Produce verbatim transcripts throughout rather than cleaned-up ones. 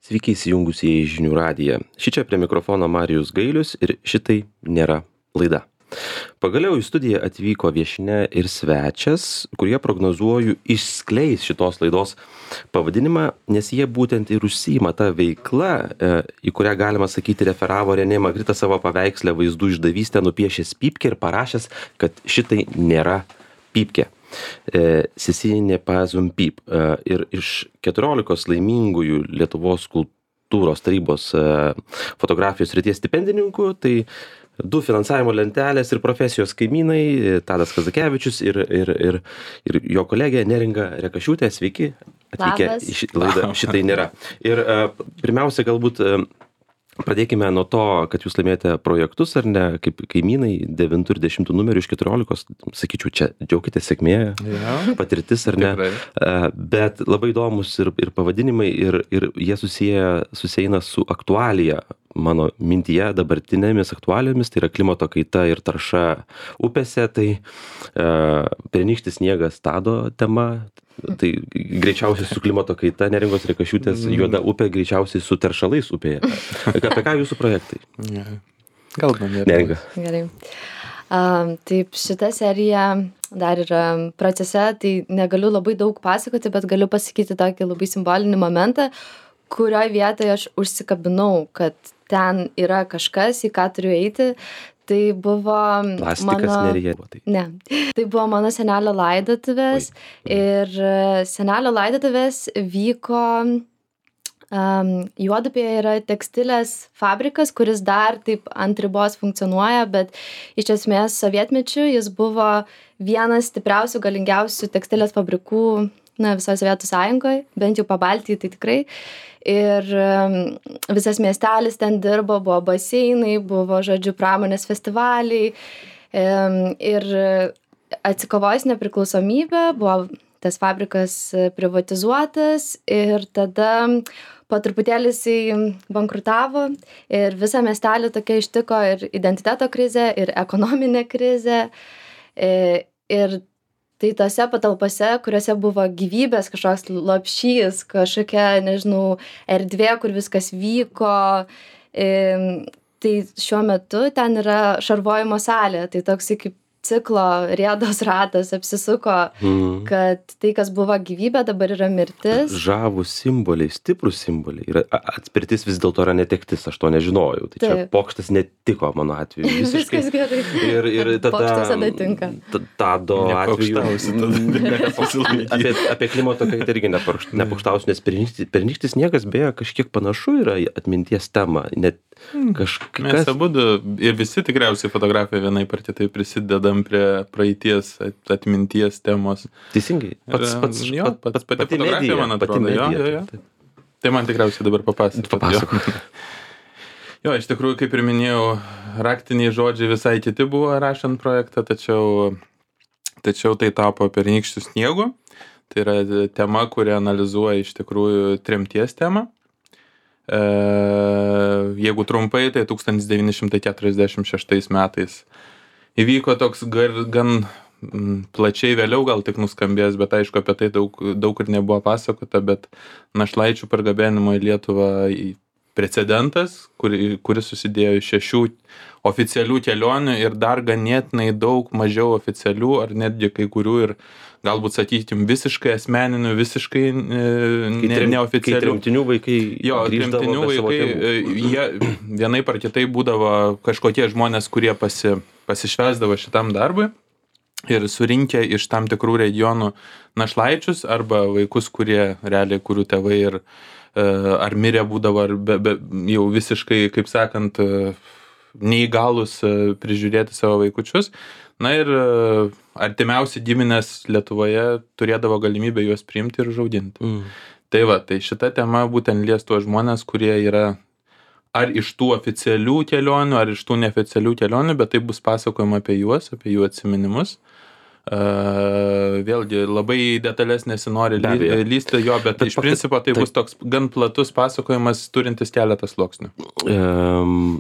Sveiki įsijungusi į žinių radiją. Šičia prie mikrofono Marijus Gailius ir šitai nėra laida. Pagaliau į studiją atvyko viešnia ir svečias, kurie prognozuoju išskleis šitos laidos pavadinimą, nes jie būtent ir užsiima tą veiklą, į kurią galima sakyti referavo Renė Magrita savo paveikslę vaizdų išdavystę nupiešęs pypkę ir parašęs, kad šitai nėra pypkė. Sisinė pazum pyp. Ir iš keturiolikos laimingųjų Lietuvos kultūros tarybos fotografijos srities stipendininkų, tai du finansavimo lentelės ir profesijos kaimynai, Tadas Kazakevičius ir, ir, ir, ir jo kolegė Neringa Rekašiūtė. Sveiki, atvykę į šį laidą šitai nėra. Ir pirmiausia, galbūt pradėkime nuo to, kad jūs laimėjote projektus, ar ne, kaip kaimynai, devintų ir dešimtų numerių iš keturiolikos, sakyčiau, čia džiaukite sėkmė, ja, patirtis, ar ne, tikrai. Bet labai įdomus ir, ir pavadinimai, ir, ir jie susiję, susieina su aktualija, mano mintyje dabartinėmis aktualijomis, tai yra klimato kaita ir tarša upėse, tai uh, pernykštis sniegas Tado tema, tai greičiausiai su klimato kaita, Neringos Rekašiūtės juoda upė greičiausiai su teršalais upėje. Apie ką jūsų projektai? Kalbam, Neringa. Gerai. Um, taip, šita serija dar yra procese, tai negaliu labai daug pasakoti, bet galiu pasakyti tokį labai simbolinį momentą, kurioje vietoje aš užsikabinau, kad ten yra kažkas, į ką turiu eiti. Tai buvo Plastikas mano... Nerija. Tai. Ne. Tai buvo mano senelio laidotuvės. Ir senelio laidotuvės vyko... Um, Juodupėje yra tekstilės fabrikas, kuris dar taip ant ribos funkcionuoja, bet iš esmės sovietmečiu jis buvo vienas stipriausių, galingiausių tekstilės fabrikų na, visoje Sovietų Sąjungoje, bent jau Pabaltijai tai tikrai. Ir um, visas miestelis ten dirbo, buvo baseinai, buvo, žodžiu, pramonės festivaliai. Um, ir atsikovojus nepriklausomybę, buvo tas fabrikas privatizuotas ir tada po truputėlį jisai bankrutavo ir visą miestelį tokia ištiko ir identiteto krizė, ir ekonominė krizė. Ir tai tose patalpose, kuriuose buvo gyvybės, kažkoks lopšys, kažkokia, nežinau, erdvė, kur viskas vyko. Tai šiuo metu ten yra šarvojimo salė, tai toks kaip ciklo rėdos ratas apsisuko, mm. kad tai, kas buvo gyvybė, dabar yra mirtis. Žavūs simboliai, stiprus simboliai. Ir atspirtis vis dėlto yra netektis, aš to nežinojau. Tai Taip. Čia pokštas netiko mano atveju. Visiškai. Viskas gerai. Ir, ir tada... Pokštas tada tinka. Tado atveju... apie, apie klimato kaitą irgi nepokštausiu, nes pernykštis sniegas beje kažkiek panašu yra atminties tema. Net kažkas... Mes abudu ir visi tikriausiai fotografija vienai par kitai prisidedam prie praeities atminties temos. Teisingai. Pats, pats, jo, pats, pati pati fotografija, medija, man atrodo. pati medija, jo, jo, jo. Tai man tikriausiai dabar papasakot. Papasakot. Jo. jo, iš tikrųjų, kaip ir minėjau, raktiniai žodžiai visai kiti buvo rašant projektą, tačiau, tačiau tai tapo pernykščiu sniegu. Tai yra tema, kurią analizuoja iš tikrųjų tremties temą. E, jeigu trumpai, tai tūkstantis devyni šimtai keturiasdešimt šeštais metais įvyko toks gar, gan plačiai vėliau gal tik nuskambės, bet aišku, apie tai daug, daug ir nebuvo pasakota, bet našlaičių pargabenimo į Lietuvą precedentas, kur, kuris susidėjo iš šešių oficialių kelionių ir dar ganėtinai daug mažiau oficialių, ar netgi kai kurių ir galbūt, sakykim, visiškai asmeninių, visiškai ne, neoficialių. Kai tremtinių vaikai jo, tremtinių vaikai, jie vienai par kitai būdavo kažkokie žmonės, kurie pasi, pasišvesdavo šitam darbui ir surinkę iš tam tikrų regionų našlaičius arba vaikus, kurie realiai, kurių tėvai ir ar mirė būdavo, ar be, be, jau visiškai, kaip sakant, neįgalus prižiūrėti savo vaikučius. Na ir artimiausi giminės Lietuvoje turėdavo galimybę juos priimti ir užauginti. Mm. Tai va, tai šita tema būtent lies tuos žmonės, kurie yra ar iš tų oficialių kelionių, ar iš tų neoficialių kelionių, bet tai bus pasakojama apie juos, apie jų atsiminimus. Uh, vėlgi labai detalės nesinori ly, lysti jo, bet, bet iš principo tai, tai bus toks gan platus pasakojimas turintis keletą sluoksnių. Um,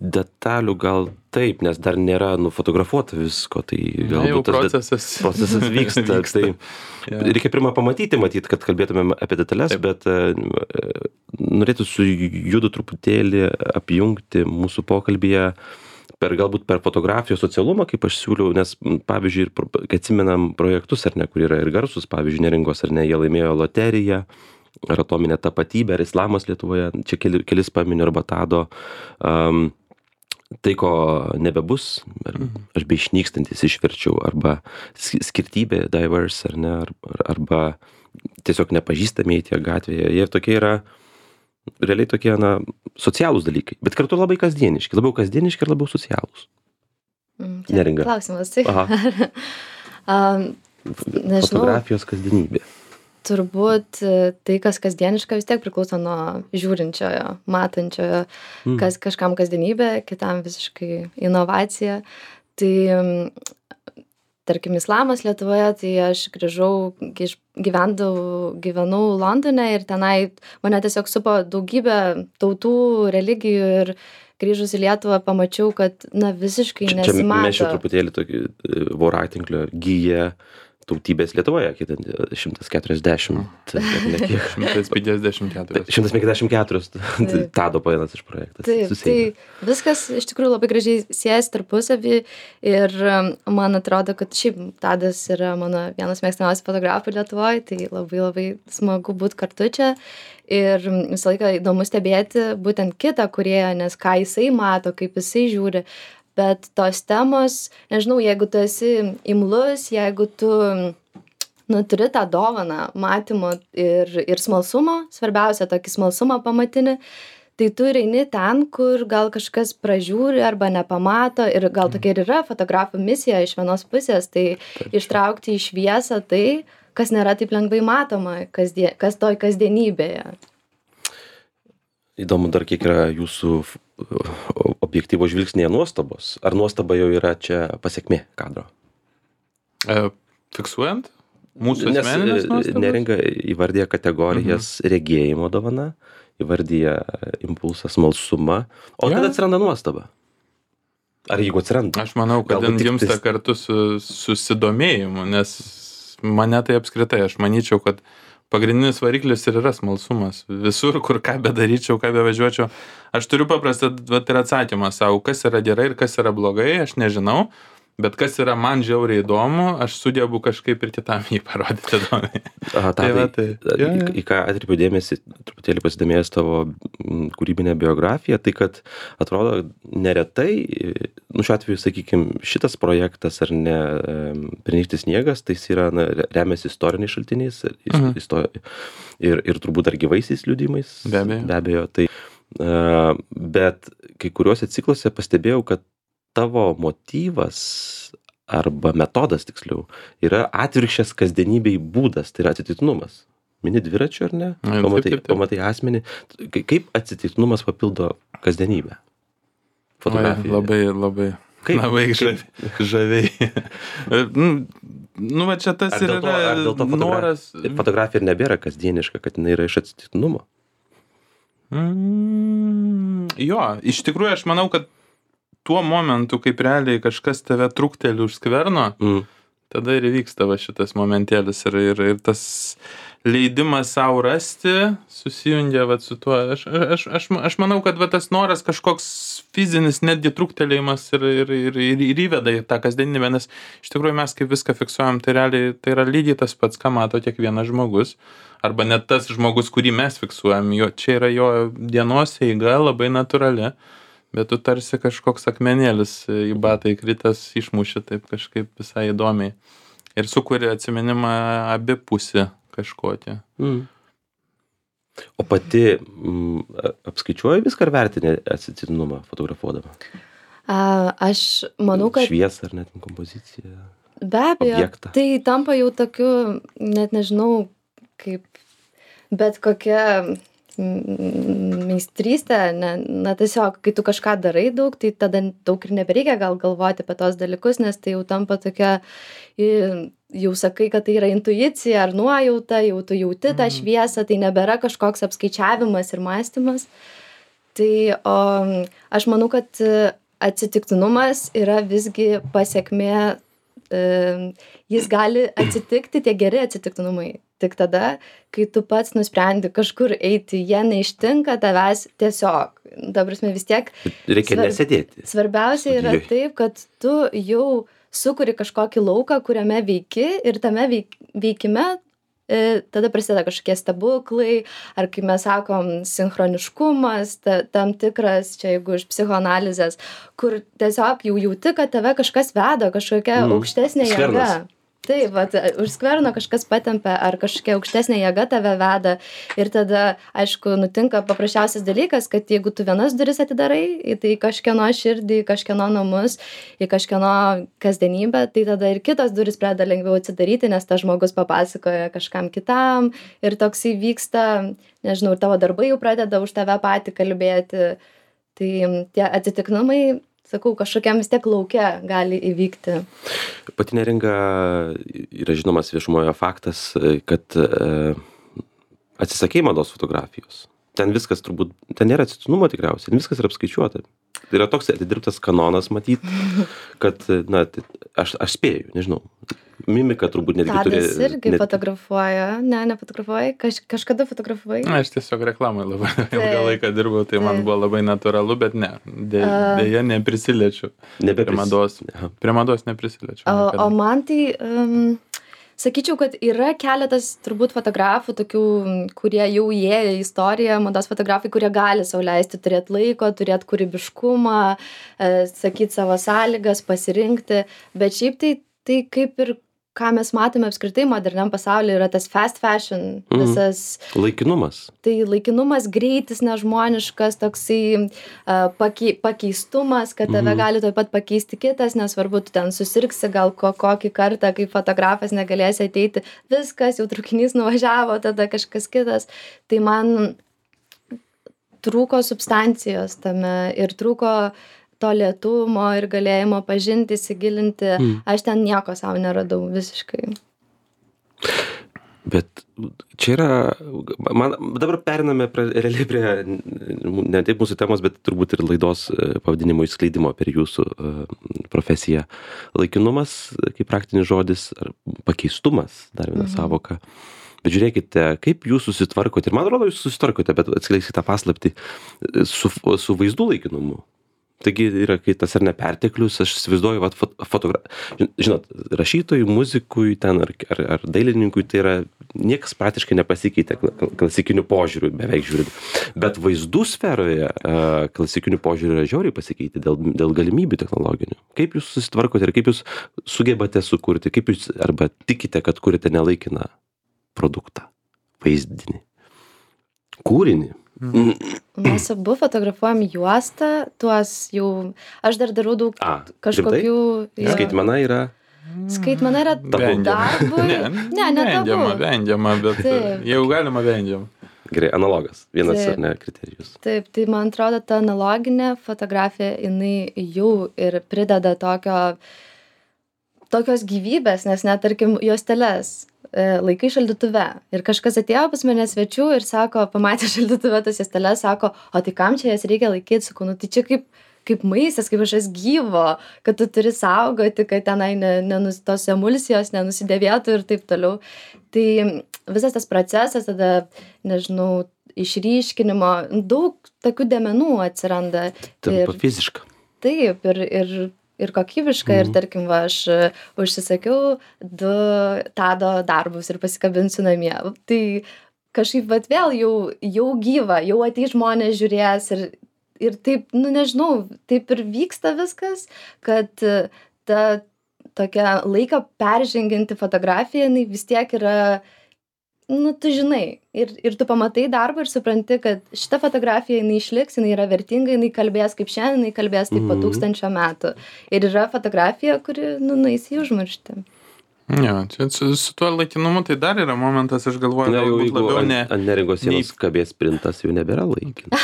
detalių gal taip, nes dar nėra nufotografuota visko, tai galbūt tas procesas, procesas vyksta. vyksta. Tai ja. Reikia pirmą pamatyti, matyti, kad kalbėtumėm apie detalės, taip. Bet uh, norėtų su judu truputėlį apjungti mūsų pokalbėje per galbūt per fotografijos socialumą, kaip aš siūliau, nes pavyzdžiui, kai atsimenam projektus, ar ne, kur yra ir garsus, pavyzdžiui, Neringos, ar ne, jie laimėjo loteriją, ar atominė tapatybė, ar islamas Lietuvoje, čia keli, kelis paminiu, arba Tado, um, tai ko nebebus, aš bei išnykstantis išverčiau, arba skirtybė, diverse, ar ne, arba tiesiog nepažįstami tie gatvėje, jie tokie yra, realiai tokie, na, socialūs dalykai, bet kartu labai kasdieniški, labiau kasdieniški ir labiau socialūs. Mm, Neringa. Klausimas, tai. um, nežinau. Fotografijos kasdienybė. Turbūt tai, kas kasdieniška, vis tiek priklauso nuo žiūrinčiojo, matančiojo, mm. kas kažkam kasdienybė, kitam visiškai inovacija. Tai, tarkim, islamas Lietuvoje, tai aš grįžau, gyvendau, gyvenau Londone ir tenai mane tiesiog supo daugybė tautų, religijų ir grįžus į Lietuvą pamačiau, kad, na, visiškai čia, nesimato. Čia mes čia truputėlį tokį voratinklio gyja tautybės Lietuvoje, kiek šimtas keturiasdešimt, ne kiek. šimtas penkiasdešimt keturios. šimtas penkiasdešimt keturios, Tado paėnas iš projektas. Taip, susijęs. Tai viskas iš tikrųjų labai gražiai siejasi tarpusavį ir man atrodo, kad šiaip Tadas yra mano vienas mėgstamiausių fotografų Lietuvoje, tai labai labai smagu būti kartu čia ir visą laiką įdomu stebėti būtent kitą kūrėją, nes ką jisai mato, kaip jisai žiūri. Bet tos temos, nežinau, jeigu tu esi imlus, jeigu tu nu, turi tą dovaną matymo ir, ir smalsumo, svarbiausia tokį smalsumą pamatinį, tai tu eini ten, kur gal kažkas pražiūri arba nepamato ir gal tokia ir yra fotografų misija iš vienos pusės, tai ištraukti į šviesą tai, kas nėra taip lengvai matoma, kasdien, kas toj kasdienybėje. Įdomu dar, kiek yra jūsų objektyvo žvilgsnėje nuostabos. Ar nuostaba jau yra čia pasiekmė kadro? E, fiksuojant? Mūsų asmeninės nuostabos? Neringa įvardija kategorijas mhm. regėjimo dovana, įvardija impulsą smalsumą, o ja. Tada atsiranda nuostaba. Ar jeigu atsiranda? Aš manau, kad jin gimsta tais... kartu su susidomėjimu, nes mane tai apskritai, aš manyčiau, kad pagrindinis variklis ir yra smalsumas. Visur, kur ką bedaryčiau, ką bevažiuočiau. Aš turiu paprastą vat, ir atsakymą savo, kas yra gerai ir kas yra blogai, aš nežinau, bet kas yra man žiauriai įdomu, aš sugebu kažkaip ir kitam jį parodyti įdomiai. Aha, tai, tai, tai, į, ja, ja. Į ką atkreipiu dėmesį, truputėlį pasidomėjęs tavo kūrybinę biografiją, tai kad atrodo neretai, nu šiuo atveju, sakykime, šitas projektas ar ne Pernykštis sniegas, tai jis yra, na, remiasi istoriniais šaltiniais mhm. isto, ir, ir turbūt dar gyvaisiais liudijimais. Be abejo. Be abejo. Tai, uh, bet kai kuriuose cikluose pastebėjau, kad tavo motyvas arba metodas, tiksliau, yra atvirkščias kasdienybei būdas, tai yra atsitiktinumas. Mini dviračiu, ar ne? Ai, pamatai, taip, taip, taip. pamatai asmenį. Kaip atsitiktinumas papildo kasdienybę? Fotografiją. Labai, labai, kaip? labai žaviai. žaviai. Nu, va čia tas ir yra noras. Fotografija ir nebėra kasdieniška, kad jinai yra iš atsitiktinumo. Mm, jo, iš tikrųjų aš manau, kad tuo momentu, kaip realiai kažkas tave trukteli už skverno, mm. tada ir vyksta va šitas momentėlis ir, ir, ir tas leidimas savo rasti susijungia va su tuo. Aš, aš, aš, aš manau, kad va tas noras kažkoks fizinis netgi truktelėjimas ir, ir, ir, ir, ir įveda į tą kasdienybę, nes iš tikrųjų mes kaip viską fiksuojam, tai realiai tai yra lygiai tas pats, ką mato kiekvienas žmogus, arba net tas žmogus, kurį mes fiksuojam, jo, čia yra jo dienos eiga labai natūrali. Bet tu tarsi kažkoks akmenėlis į batą įkritęs išmuši taip kažkaip visai įdomiai. Ir sukuri atsiminimą abipusį kažkokį. Mm. O pati m, apskaičiuoji viską ar vertini atsitiktinumą fotografuodama? A, aš manau, kad... Šviesą ar net kompoziciją? Be abejo. Objektą. Tai tampa jau tokiu, net nežinau, kaip bet kokia... meistrystė, ne, na tiesiog, kai tu kažką darai daug, tai tada daug ir nebereikia gal galvoti apie tos dalykus, nes tai jau tampa tokia, jau sakai, kad tai yra intuicija ar nuojauta, jau tu jauti tą šviesą, tai nebėra kažkoks apskaičiavimas ir mąstymas. Tai o, aš manau, kad atsitiktinumas yra visgi pasiekmė, e, jis gali atsitikti, tie geri atsitiktinumai. Tik tada, kai tu pats nusprendi kažkur eiti, jie neištinka tavęs tiesiog. Dabar vis tiek... Reikia svarb... nesėdėti. Svarbiausia yra Studijoj. taip, kad tu jau sukuri kažkokį lauką, kuriame veiki ir tame veik... veikime e, tada prasideda kažkokie stebuklai, ar kaip mes sakom, sinchroniškumas, ta, tam tikras, čia jeigu iš psichoanalizės, kur tiesiog jau jauti, kad tave kažkas veda, kažkokia mm. aukštesnė Skvernas. jėga. Taip, vat, už skverno kažkas patempia, ar kažkokia aukštesnė jėga tave veda ir tada, aišku, nutinka paprasčiausias dalykas, kad jeigu tu vienas duris atidarai, į tai kažkieno širdį, į kažkieno namus, į kažkieno kasdienybę, tai tada ir kitos duris pradeda lengviau atsidaryti, nes tas žmogus papasakoja kažkam kitam ir toksai vyksta, nežinau, ir tavo darbai jau pradeda už tave patį kalbėti. Tai tie atsitiktinumai, sakau, kažkokiam vis tiek lauke gali įvykti. Pati Neringa yra žinomas viešumoje faktas, kad e, atsisakei mados fotografijos. Ten viskas turbūt, ten nėra atsitiktinumo tikriausiai, ten viskas yra apskaičiuota. Tai yra toks atidirbtas kanonas matyt, kad, na, aš, aš spėju, nežinau. Mimika turbūt netgi turi... Tadas irgi net... fotografuoja, ne, nefotografuoja, Kaž, kažkada fotografavai. Na, aš tiesiog reklamai labai ilgą laiką dirbau, tai man buvo labai natūralu, bet ne, dė, dėja neprisiliečiu. Nebepris... Prie mados, prie mados neprisiliečiu. O, o man tai, um, sakyčiau, kad yra keletas turbūt fotografų, tokių, kurie jau įėjo į istoriją, mados fotografai, kurie gali sau leisti turėti laiko, turėti kūrybiškumą, e, sakyti savo sąlygas, pasirinkti, bet šiaip tai, tai kaip ir ką mes matome apskritai moderniam pasaulyje, yra tas fast fashion, visas... Mm. Laikinumas. Tai laikinumas, greitis nežmoniškas, toksai uh, pakei, pakeistumas, kad tave mm. gali taip pat pakeisti kitas, nesvarbu, tu ten susirgsi gal ko, kokį kartą, kai fotografas negalėsi ateiti, viskas, jau traukinys nuvažiavo, tada kažkas kitas. Tai man trūko substancijos tame ir trūko to lėtumo ir galėjimo pažinti, įsigilinti. Mm. Aš ten nieko savo neradau visiškai. Bet čia yra, man dabar periname prie, realiai prie, ne taip mūsų temos, bet turbūt ir laidos pavadinimo išskleidimo per jūsų profesiją. Laikinumas, kaip praktinis žodis, ar pakeistumas, dar viena mm-hmm. savoka. Bet žiūrėkite, kaip jūs susitvarkote, ir man atrodo, jūs susitvarkote, bet atskleiskite tą paslaptį su, su vaizdų laikinumu. Taigi yra, kai tas ar ne perteklius, aš įsivaizduoju, vat, fotogra... žinot, rašytojui, muzikui, ten, ar, ar, ar dailininkui, tai yra, niekas praktiškai nepasikeitė klasikiniu požiūriu, beveik žiūrint. Bet vaizdų sferoje klasikiniu požiūriu yra žiauriai pasikeitė dėl, dėl galimybių technologinių. Kaip jūs susitvarkote ir kaip jūs sugebate sukurti, kaip jūs arba tikite, kad kurite nelaikiną produktą, vaizdinį, kūrinį. Mm. Mes abu fotografuojam juostą, tuos jau, aš dar darau daug A, kažkokių... Ja. Skaitmena yra... Skaitmena yra darbui. Ne, ne, ne vengiama, vengiama, bet taip. Jau galima vengiam. Gerai, analogas, vienas taip. Ar ne kriterijus. Taip, tai man atrodo, ta analoginė fotografija, jinai jau ir prideda tokio, tokios gyvybės, nes net, tarkim, juosteles laikai šaldytuve. Ir kažkas atėjo pas mane svečių ir sako, pamatė šaldytuve tas juosteles, sako, o tai kam čia jas reikia laikyti, sakau, nu tai čia kaip, kaip maistas, kaip kažkas gyvo, kad tu turi saugoti, kad tenai ne, nenus, tos emulsijos nenusidėvėtų ir taip toliau. Tai visas tas procesas, tada, nežinau, išryškinimo, daug tokių dėmenų atsiranda. Tampa ir, fiziška. Taip, ir, ir ir kokybiška, mm. ir tarkim, va, aš užsisakiau du Tado darbus ir pasikabinsiu namie. Tai kažkaip, bet vėl jau, jau gyva, jau ateis žmonės žiūrės ir, ir taip, nu nežinau, taip ir vyksta viskas, kad ta tokia laiką peržengianti fotografija, jinai vis tiek yra, nu tu žinai, ir, ir tu pamatai darbą ir supranti, kad šita fotografija, jinai išliks, jinai yra vertinga, jinai kalbės kaip šiandien, jinai kalbės taip po tūkstančio metų. Ir yra fotografija, kuri, nu, nueis į užmarštį. Ja, čia su, su tuo laikinumu tai dar yra momentas, aš galvoju, na, jau, galbūt labiau ant, ne... Ant Neringos sienos kabės printas jau nebėra laikinas.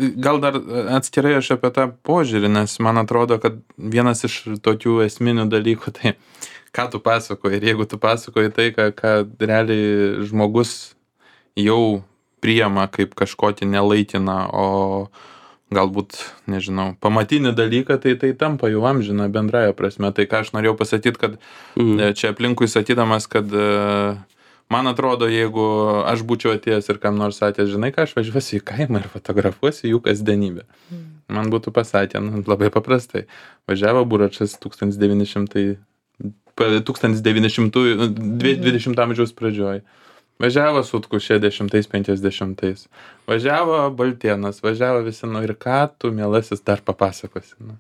Gal dar atskirai aš apie tą požiūrį, nes man atrodo, kad vienas iš tokių esminių dalykų, tai ką tu pasakoji, ir jeigu tu pasakoji tai, ką, ką realiai žmogus jau priima kaip kažkokį nelaikiną, o galbūt, nežinau, pamatinį dalyką, tai tai tampa jau amžina bendraja prasme. Tai ką aš norėjau pasakyti, kad mm. čia aplinkui sakydamas, kad man atrodo, jeigu aš būčiau atėjęs ir kam nors sakęs, žinai ką, aš važiuosiu į kaimą ir fotografuosiu jų kasdienybę. Mm. Man būtų pasakę, nu, labai paprastai. Važiavo Buračas tūkstantis devyni šimtai, tūkstantis devyni šimtai dvidešimto amžiaus pradžioj. Važiavo Sutkus šešiasdešimtais, penkiasdešimtais. Važiavo Baltėnas, važiavo visi, nu ir ką tu, mielasis, dar papasakosi. Nu.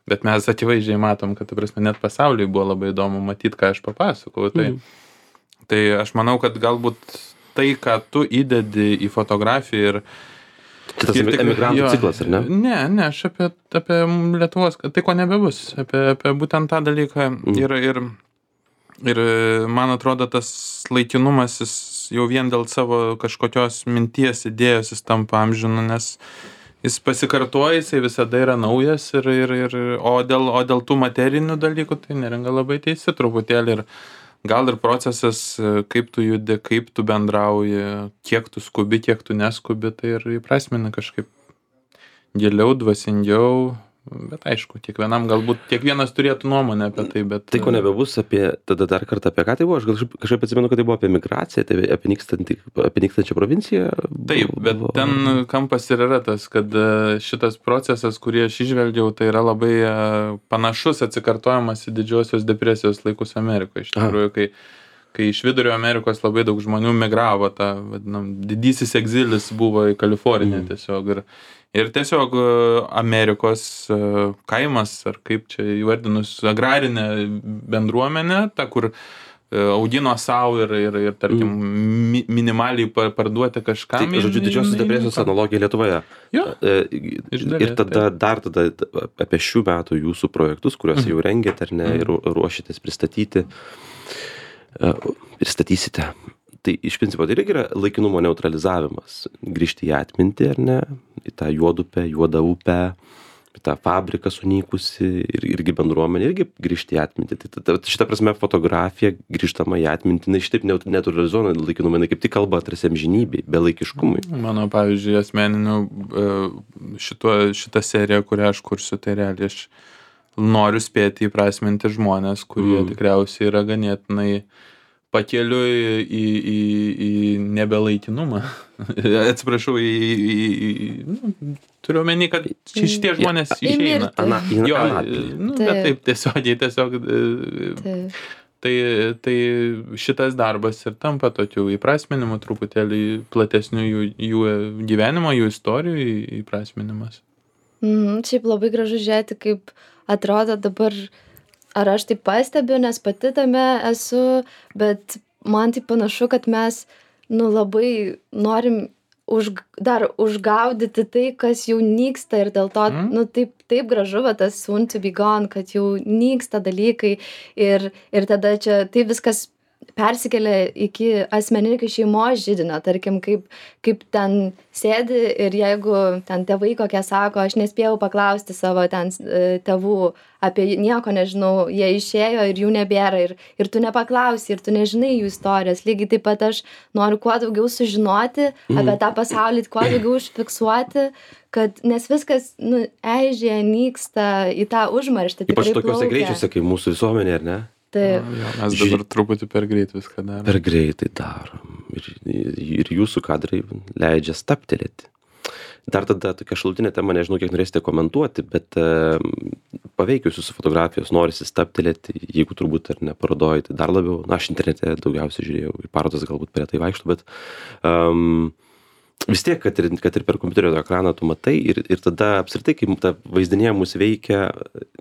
Bet mes akivaizdžiai matom, kad, ta prasme, net pasauliui buvo labai įdomu matyti, ką aš papasakau. Tai, mm. tai aš manau, kad galbūt tai, ką tu įdedi į fotografiją ir... Tai tas emigrantų jo, ciklas, ar ne? Ne, ne, aš apie, apie Lietuvos, tai ko nebebus, apie, apie būtent tą dalyką. Mm. Ir, ir, ir man atrodo, tas laikinumas, jis jau vien dėl savo kažkokios minties, idėjos jis tampa amžinu, nes jis pasikartoja, jisai visada yra naujas, ir, ir, ir, o, dėl, o dėl tų materinių dalykų, tai Neringa labai teisi truputėlį. Ir gal ir procesas, kaip tu judi, kaip tu bendrauji, kiek tu skubi, kiek tu neskubi, tai ir įprasmina kažkaip giliau, dvasingiau. Bet aišku, kiekvienam galbūt, kiekvienas turėtų nuomonę apie tai, bet... Tai ko nebebus apie, tada dar kartą apie ką tai buvo, aš kažkaip, kažkaip atsimenu, kad tai buvo apie migraciją, tai apie, nykstantį, apie nykstančią provinciją. Taip, bet buvo... ten kampas ir yra tas, kad šitas procesas, kurį aš išvelgiau, tai yra labai panašus atsikartojimas į didžiosios depresijos laikus Amerikoje. Iš tikrųjų, kai, kai iš Vidurio Amerikos labai daug žmonių migravo, ta, vadinam, didysis egzilis buvo į Kaliforniją mm. tiesiog. Ir, Ir tiesiog Amerikos kaimas, ar kaip čia įvardinus, agrarinė bendruomenė, ta, kur augino savo ir, ir, ir tarkim, mi, minimaliai parduoti kažkam. Tai, žodžiu, didžiosios depresijos analogija Lietuvoje. Jo, ir tada dar tada apie šių metų jūsų projektus, kuriuos jau rengėte, ar ne, ir ruošitės pristatyti, pristatysite. Tai iš principo tai irgi yra laikinumo neutralizavimas, grįžti į atmintį, ar ne, į tą juodupę, juodą upę, į tą fabriką sunykusi ir irgi bendruomenė, irgi grįžti į atmintį. Tai, tai šitą prasme fotografija grįžtama į atmintį, na šitaip neutralizuojama laikinumą, jinai kaip tik kalba tarsi amžinybei, belaikiškumui. Mano, pavyzdžiui, asmeniniu šito, šitą seriją, kurią aš kursiu, tai realiai aš noriu spėti įprasminti žmonės, kurie mm. tikriausiai yra ganėtinai pakeliui į, į, į nebelaikinumą. Atsiprašau, į, į, į nu, turiu omeny, kad šitie žmonės išeina. Ana, in, jo, nu, bet taip tiesiogiai, tiesiog. Taip. Tai, tai šitas darbas ir tampa tokiu įprasminimu, truputėlį platesniu jų, jų gyvenimo, jų istorijų įprasminimas. Mhm, šiaip labai gražu žiūrėti, kaip atrodo dabar. Ar aš tai pastebiu, nes pati tame esu, bet man tai panašu, kad mes nu, labai norim už, dar užgaudyti tai, kas jau nyksta ir dėl to mm. nu, taip, taip gražu, va, tas soon to be gone, kad jau nyksta dalykai ir, ir tada čia tai viskas persikelia iki asmeninio, iki šeimos židinio, tarkim, kaip, kaip ten sėdi ir jeigu ten tėvai kokie sako, aš nespėjau paklausti savo ten tėvų apie nieko, nežinau, jie išėjo ir jų nebėra ir, ir tu nepaklausi ir tu nežinai jų istorijos. Lygiai taip pat aš noriu kuo daugiau sužinoti mm. apie tą pasaulį, kuo daugiau užfiksuoti, kad, nes viskas, nu, eižėja, nyksta į tą užmarštį. Ypač tokiuose greičiuose, kaip mūsų visuomenė, ar ne? Taip. Jo, mes dabar truputį per greit viską darom. Per greitai darom. Ir, ir jūsų kadrai leidžia staptelėti. Dar tada tokia šalutinė tema, nežinau, kiek norėsite komentuoti, bet uh, paveikius jūsų fotografijos norisi staptelėti, jeigu turbūt ar ne parodojai, tai dar labiau. Na, aš internete daugiausiai žiūrėjau, į parodas galbūt prie tai vaikštų, bet um, vis tiek, kad ir, kad ir per kompiuterio ekraną tu matai ir, ir tada apskritai, kai ta vaizdinė mus veikia,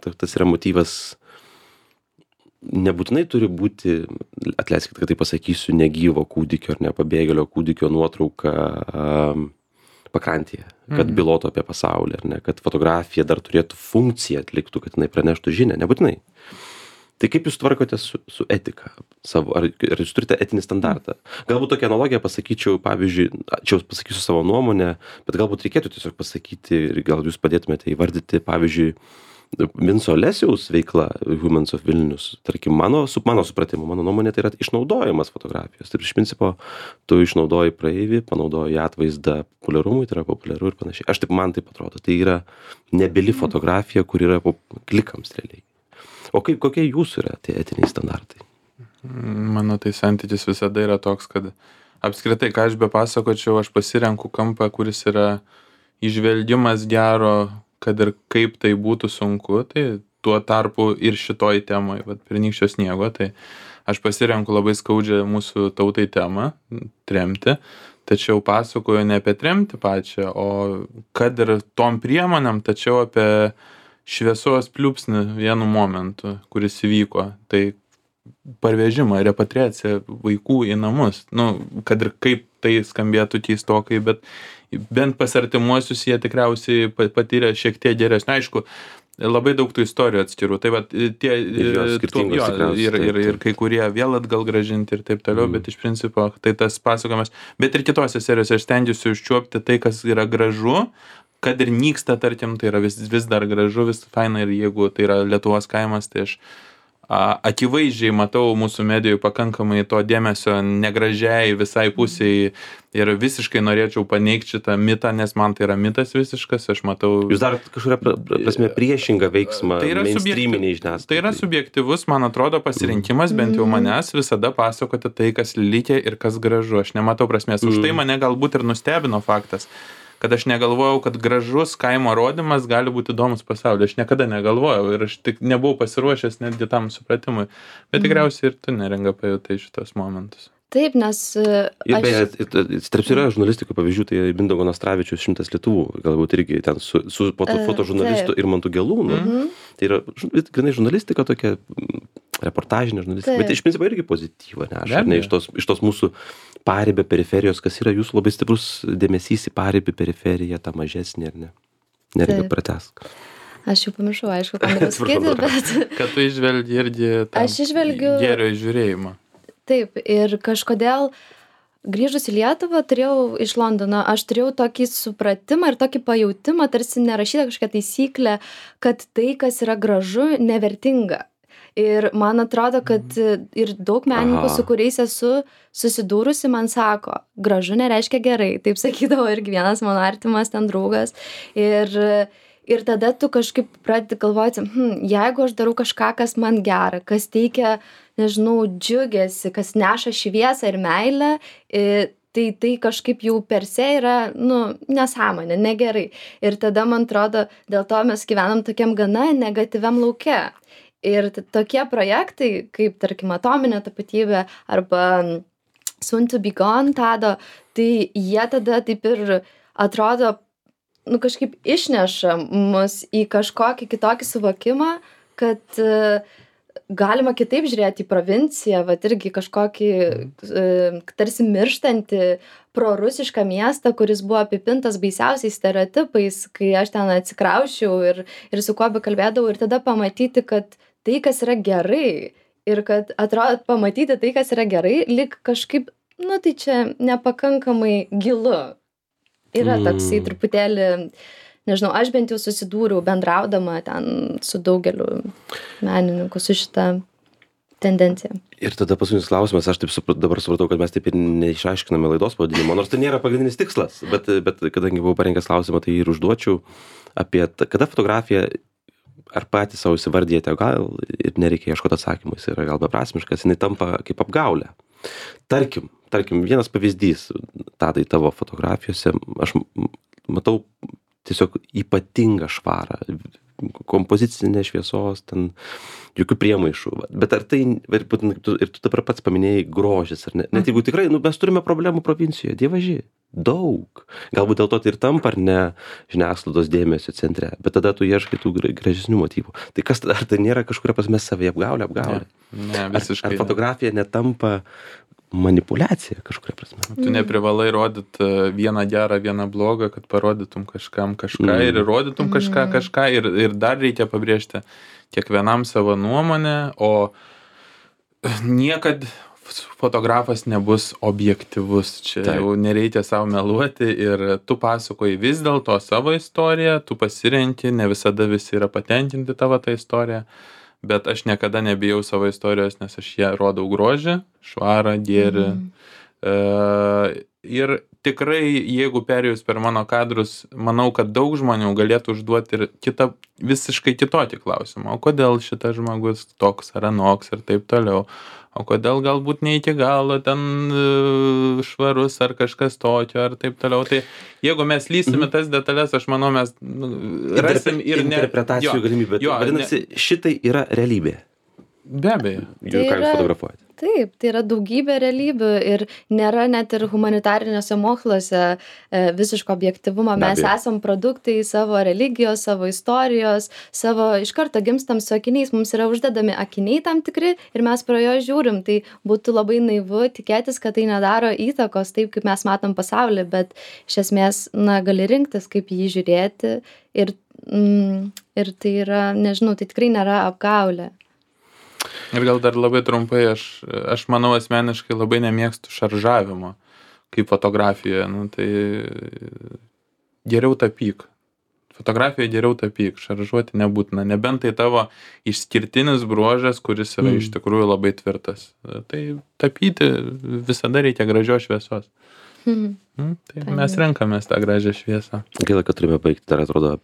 tas yra motyvas. Nebūtinai turi būti, atleiskit, kad tai pasakysiu, negyvo kūdikio ar ne pabėgėlio kūdikio nuotrauka um, pakrantėje, kad mm. bylotų apie pasaulį, ar ne, kad fotografija dar turėtų funkciją atliktų, kad jinai praneštų žinią, nebūtinai. Tai kaip jūs tvarkote su, su etika savo, ar, ar jūs turite etinį standartą? Galbūt tokią analogiją pasakyčiau, pavyzdžiui, čia jūs pasakysiu savo nuomonę, bet galbūt reikėtų tiesiog pasakyti ir gal jūs padėtumėte įvardyti, pavyzdžiui, Vinco Lesiaus veikla Humans of Vilnius, tarkim, mano, su mano supratimu, mano nuomonė, tai yra išnaudojimas fotografijos. Tai iš principo, tu išnaudoji praeivį, panaudoji atvaizdą populiarumui, tai yra populiaru ir panašiai. Aš taip, man taip atrodo, tai yra nebili fotografija, kur yra klikams realiai. O kaip, kokie jūsų yra tie etiniai standartai? Mano tai santykis visada yra toks, kad apskritai, ką aš be pasakočiau, aš pasirenku kampą, kuris yra įžvelgimas gero, kad ir kaip tai būtų sunku, tai tuo tarpu ir šitoj temai, vat Pernykščio sniego, tai aš pasirenku labai skaudžią mūsų tautai temą, tremtį, tačiau pasakoju ne apie tremtį pačią, o kad ir tom priemonėm, tačiau apie šviesos pliūpsnį vienu momentu, kuris įvyko, tai parvežimą, repatriaciją vaikų į namus, nu, kad ir kaip tai skambėtų keistokai, bet bent pas artimuosius jie tikriausiai patyrė šiek tiek geresnį. Aišku, labai daug tų istorijų atskirų, tai va, tie, ir, to, jo, ir, ir, ir kai kurie vėl atgal gražinti ir taip toliau, mm. bet iš principo tai tas pasakojimas, bet ir kitose serijose aš stengiuosi užčiuopti tai, kas yra gražu, kad ir nyksta, tarkim, tai yra vis, vis dar gražu, vis faina ir jeigu tai yra Lietuvos kaimas, tai aš a, akivaizdžiai matau mūsų medijų pakankamai to dėmesio negražiai visai pusiai ir visiškai norėčiau paneigti šitą mitą, nes man tai yra mitas visiškas, aš matau... Jūs dar kažkuria prasme priešingą veiksmą tai mainstreaminiai žiniasklaidai. Tai yra subjektyvus, man atrodo, pasirinkimas, bent jau manęs visada pasakoti tai, kas likę ir kas gražu. Aš nematau prasmės. Už tai mane galbūt ir nustebino faktas, kad aš negalvojau, kad gražus kaimo rodymas gali būti įdomus pasauliu. Aš niekada negalvojau ir aš tik nebuvau pasiruošęs netgi tam supratimui. Bet tikriausiai ir tu, Neringa, pajutai šitos momentus. Taip, nes... Ir beje, tarp yra žurnalistikų pavyzdžių, tai Mindaugo Nastravičius šimtas Lietuvų, galbūt irgi ten su, su fotožurnalistu Irmantu Gelūnu. Mm-hmm. Tai yra grinai žurnalistika tokia, reportažinė žurnalistika, bet iš principo irgi pozityva, ne? Aš, ne iš, tos, iš tos mūsų paribio periferijos, kas yra jūsų labai stiprus dėmesys į paribį periferiją, tą mažesnį, ar ne? Neringa, pratesk. Aš jau pamiršau, aišku, ką noriu sakyti, bet... Kad tu išvelgi irgi tą išvelgiu... gėrio žiūrėjimą. Taip, ir kažkodėl grįžus į Lietuvą turėjau iš Londono, aš turėjau tokį supratimą ir tokį pajautimą, tarsi nerašyta kažkokia taisyklė, kad tai, kas yra gražu, nevertinga. Ir man atrodo, kad ir daug menininkų, su kuriais esu susidūrusi, man sako, gražu nereiškia gerai. Taip sakydavo irgi vienas mano artimas ten draugas. Ir, ir tada tu kažkaip pradedi galvoti, hm, jeigu aš darau kažką, kas man gera, kas teikia, nežinau, džiugėsi, kas neša šviesą ir meilę, tai tai kažkaip jau per se yra, nu, nesąmonė, negerai. Ir tada, man atrodo, dėl to mes gyvenam tokiam gana negatyviam lauke. Ir tokie projektai, kaip, tarkim, Atominė tapatybė arba Soon to be Gone, Tado, tai jie tada taip ir atrodo, nu, kažkaip išneša mus į kažkokį kitokį suvokimą, kad uh, galima kitaip žiūrėti į provinciją, vat irgi kažkokį uh, tarsi mirštantį prorusišką miestą, kuris buvo apipintas baisiausiais stereotipais, kai aš ten atsikrausčiau ir, ir su kuo bekalbėdavau, ir tada pamatyti, kad tai, kas yra gerai, ir kad atrodo pamatyti tai, kas yra gerai, lyg kažkaip, nu tai čia nepakankamai gilu. Yra toksai truputėlį, nežinau, aš bent jau susidūriau bendraudama ten su daugeliu menininkų su šitą tendenciją. Ir tada paskutinis klausimas, aš taip suprat, dabar supratau, kad mes taip ir neišaiškiname laidos pavadinimo, nors tai nėra pagrindinis tikslas, bet, bet kadangi buvau parengęs klausimą, tai ir užduočiau apie, kada fotografija, ar patys savo įsivardijate, gal ir nereikia ieškoti atsakymų, jis yra gal beprasmiškas, jinai tampa kaip apgaulė. Tarkim, tarkim, vienas pavyzdys, Tadai, tavo fotografijose, aš matau tiesiog ypatingą švarą, kompozicinė šviesos, ten jokių priemaišų. Bet ar tai, ir tu, ir tu dabar pats paminėjai grožis, ar ne? Net jeigu tikrai, nu, mes turime problemų provincijoje, dievaži, daug. Galbūt dėl to tai ir tampa, ar ne, žiniasklaidos dėmesio centre, bet tada tu ieškai tų gražesnių motyvų. Tai kas, ar tai nėra kažkuria prasme savai apgaulė, apgaulė? Ne, ne, visiškai. Ar, ar fotografija netampa manipuliacija kažkuria prasme? Tu neprivalai rodyti vieną gerą, vieną blogą, kad parodytum kažkam kažką mm. ir rodytum kažką kažką ir, ir dar reikia pabrėžti kiekvienam savo nuomonę, o niekad fotografas nebus objektyvus, čia Taip. Jau nereikia savo meluoti ir tu pasakoji vis dėlto savo istoriją, tu pasirenki, ne visada visi yra patenkinti tavo tą istoriją, bet aš niekada nebijau savo istorijos, nes aš ją rodau grožį, švarą, gėrį. Mm. E, ir tikrai, jeigu perėjus per mano kadrus, manau, kad daug žmonių galėtų užduoti ir kitą, visiškai kitokį klausimą. O kodėl šitas žmogus toks ar anoks ir taip toliau? O kodėl galbūt ne iki galo ten uh, švarus ar kažkas tokio ar taip toliau. Tai jeigu mes lysime tas detalės, aš manau, mes nu, rasim ir ne... Interpretacijų galimybė. Jo, vadinasi, ne... šitai yra realybė. Be abejo. Tai ką jūs fotografuojate? Taip, tai yra daugybė realybių ir nėra net ir humanitariniuose moksluose e, visiško objektyvumo. Mes esam produktai savo religijos, savo istorijos, savo iš karto gimstam su akiniais, mums yra uždedami akiniai tam tikri ir mes pro jo žiūrim. Tai būtų labai naivu tikėtis, kad tai nedaro įtakos taip, kaip mes matom pasaulį, bet iš esmės, na, gali rinktis, kaip jį žiūrėti ir, mm, ir tai yra, nežinau, tai tikrai nėra apgaulė. Ir gal dar labai trumpai, aš, aš manau asmeniškai labai nemėgstu šaržavimo kaip fotografijoje, nu, tai geriau tapyk. Fotografijoje geriau tapyk, šaržuoti nebūtina, nebent tai tavo išskirtinis bruožas, kuris yra mm. iš tikrųjų labai tvirtas. Tai tapyti visada reikia gražios šviesos. Mm. Mm, tai Paim. Mes renkamės tą gražią šviesą. Gaila, kad turime baigti, dar atrodo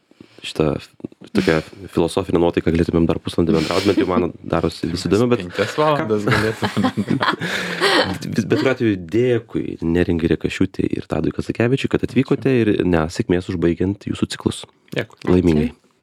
šitą tokią filosofinę nuotaiką galėtumėm dar pusvalandį bendrauti, bet jau man darosi vis įdomu, bet... Penkias valandas galėtumėm. Bet kuriuo atveju dėkui Neringai Rekašiūtei ir Tadui Kazakevičiui, kad atvykote ir ne, sėkmės užbaigiant jūsų ciklus. Dėkui. Laimingai.